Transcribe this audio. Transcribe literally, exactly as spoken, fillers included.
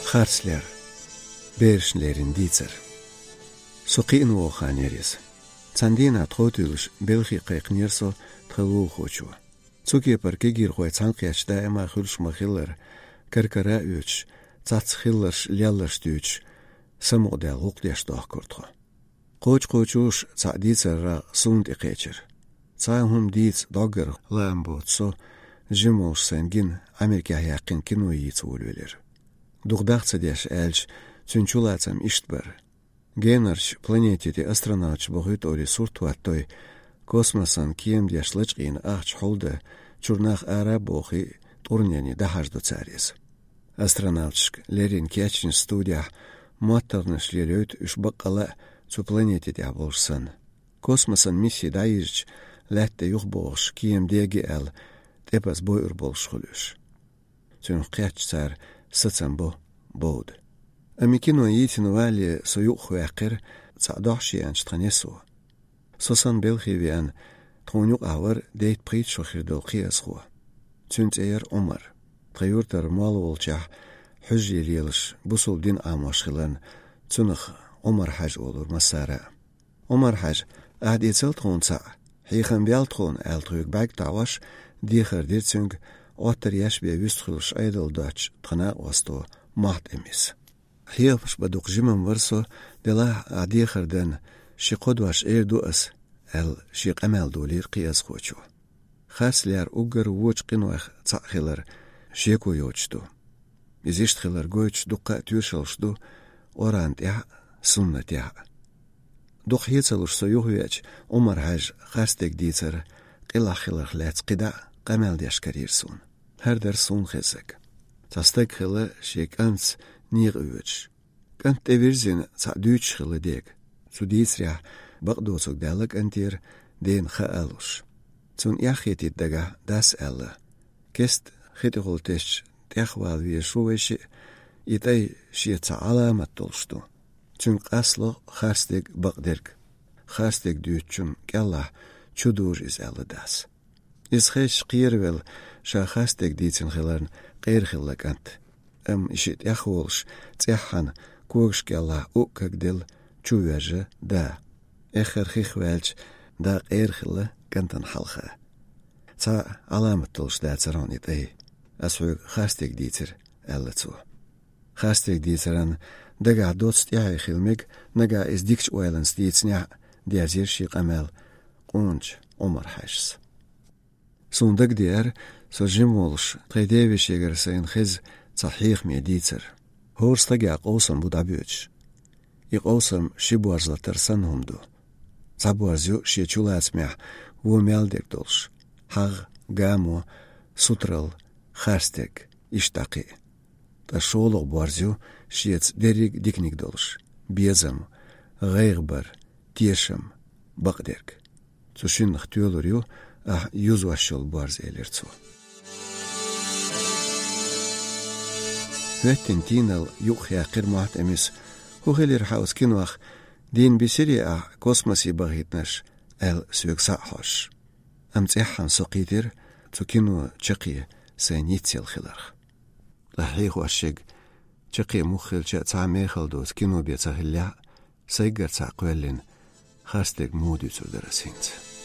Харцлер. Берашна леррина дийцар. Со кхиъна вогӀу хан яра иза. Цхьана дийнахь тхов туьллуш белхе кхайкхинера со тхан лулахочо. Цу кепара кегийрхой цхьаьнакхетташ даима хуьлуш ма-хиллара, кар-кара а оьцуш, цхьацца хилларш, лелларш дуьйцуш, самукъадаьлла гӀуллакх деш дохкура тхо. Кхочуш-кхочуш цхьаъ дийцарах суна тӀекхечира. Цхьа а хӀума дийца дӀоггара лаам боцу со, жима волуш сайна гина Ӏамеркехь яьккхина кино йийца волавелира. Дукха дах ца деш аьлча, цуьнан чулацам иштта бара. Генарчу планете тӀе астронавташ бохуьйту олий сурт хӀоттой, космосан кема деш лачкъийна ахча хьулдан, чуьра нах ара а бохий, тӀурнене дӀахьажадо цара иза. Астронавташка леррина кечйинчу студехь моттаргӀанаш лелайойту уьш баккъалла а цу планете тӀехь болуш санна. Космосан мисси дӀайирзича, лаьтта тӀе юхабогӀуш кема дега аьлла, тӀепаза бойур болуш хуьлу уьш. Цуьнах кхетча цара сацам бо бовда. Амма кино йийцина валале со юкъахваьккхира цхьаъ дохьуш еанчу тхан несо. Со санна белхе веана, тхуна юкъахь вара дейтта-пхийтта шо хир долу кхиазхо. Цуьнан цӀе яра Ӏумар. Тхан юьртара молла волчохь хьуьжаре лелаш, бусалба дин Ӏамош хиларна, цунах Ӏумар-хьаьжа олура массара а. Ӏумар-хьаьжа, ахь дийцал тхуна цхьаъ, хьехам бел тхуна, аьлла тхоьга бӀаьрг тоьхна, дехар дира цуьнга, Ӏоттар еш бен вуьстуш хуьлуш Ӏедал доцчу тхан накъосто Мохьтамис. Хьехамаш бан дукха жимма вара со, делахь а дехар дан, ши-кхо дош эр ду ас, аьлла, шен къамел долийра кхиазхочо. Харцлер уггар вочу къинойх цхьаъ хилар шеко йоцуш ду. Иза иштта хилар гойтуш дуккха а тоьшаллаш ду Къуръан тӀехь а, суннатехь а. Дукха хьеца луш со юхавеача, Ӏумар-хьаьжа харцдерг дийцар къилахь хиларх лаьцна кхидӀа а къамел деш карийра суна. ХӀара дара суна хезнарг. Цхьа стаг хилла шен кӀантаца некъа воьдуш. КӀант тӀевирзина цхьаъ дуьйцуш хилла дега. Цу дийцарехь бакъдоцург даьлла кӀантера, дена хаа луш. Цунна эхь хетийта дагахь дас аьлла: «Кеста хи тӀехула тесча тӀехвала везаш ву вай шиъ, и тӀай шеца цхьа Ӏаламат долуш ду. Цуьнга къасло харцдерг, бакъдерг. Харцдерг дуьйцучунна кӀелахь чу дужу иза», — аьлла дас. Иза хезча кхеравелла, ша харцдерг дийцина хиларна, къера хилла кӀант. Амма и шиъ тӀехволуш, цӀеххьана когаш кӀелахь уккаг делла чу воьжна да. Эххар хих ваьлча, да къера хилла кӀантана хьалха. «Цхьа Ӏаламат долуш дацара хьуна и тӀай. Ас хьоьга харцдерг дийцира», — аьлла цо. Харцдерг дийцаран дагахь доцца тӀаьхье хила мега, нагахь иза дикачу ойланца дийцинехь а, дерзийра шен къамел къоначу Ӏумар-хьаьжас. Суна дагадеара, со жима волуш, тхайн девешегара сайна хеза цхьа хьехаме дийцар. ХӀора стагехь къовсам бу дӀабоьдуш. И къовсам ши борз латар санна хӀума ду. Цхьа борз ю шен чулацамехь вон мел дерг долуш: хьагӀ, гамо, сутралла, харцдерг, иштта дӀа кхин а. Ткъа шолгӀа борз ю шеца дерриг а диканиг долуш: безам, гӀайгӀа бар, тешам, бакъдерг. Цу шиннах тоьлур ю ахь юзош йолу борз, элира цо. ХӀоьттина тийналла юкъахъяьккхира Мохьтамис: «ХӀун хилира хьан оцу кинох, дийна бисирий ахь космосе бахийтинарш?» — аьлла, соьга схьа а хьожуш. Амма цӀеххьана со кхийтира цу кино чаккхе сайн йицъелла хиларх. Ткъа хьехош шега чаккхе муха хилча а цхьа а мехала доцу кино бен ца хиллехь а, сайгара цхьаъ кхоьллина, харцдерг муха дуьйцур дара ас хӀинца.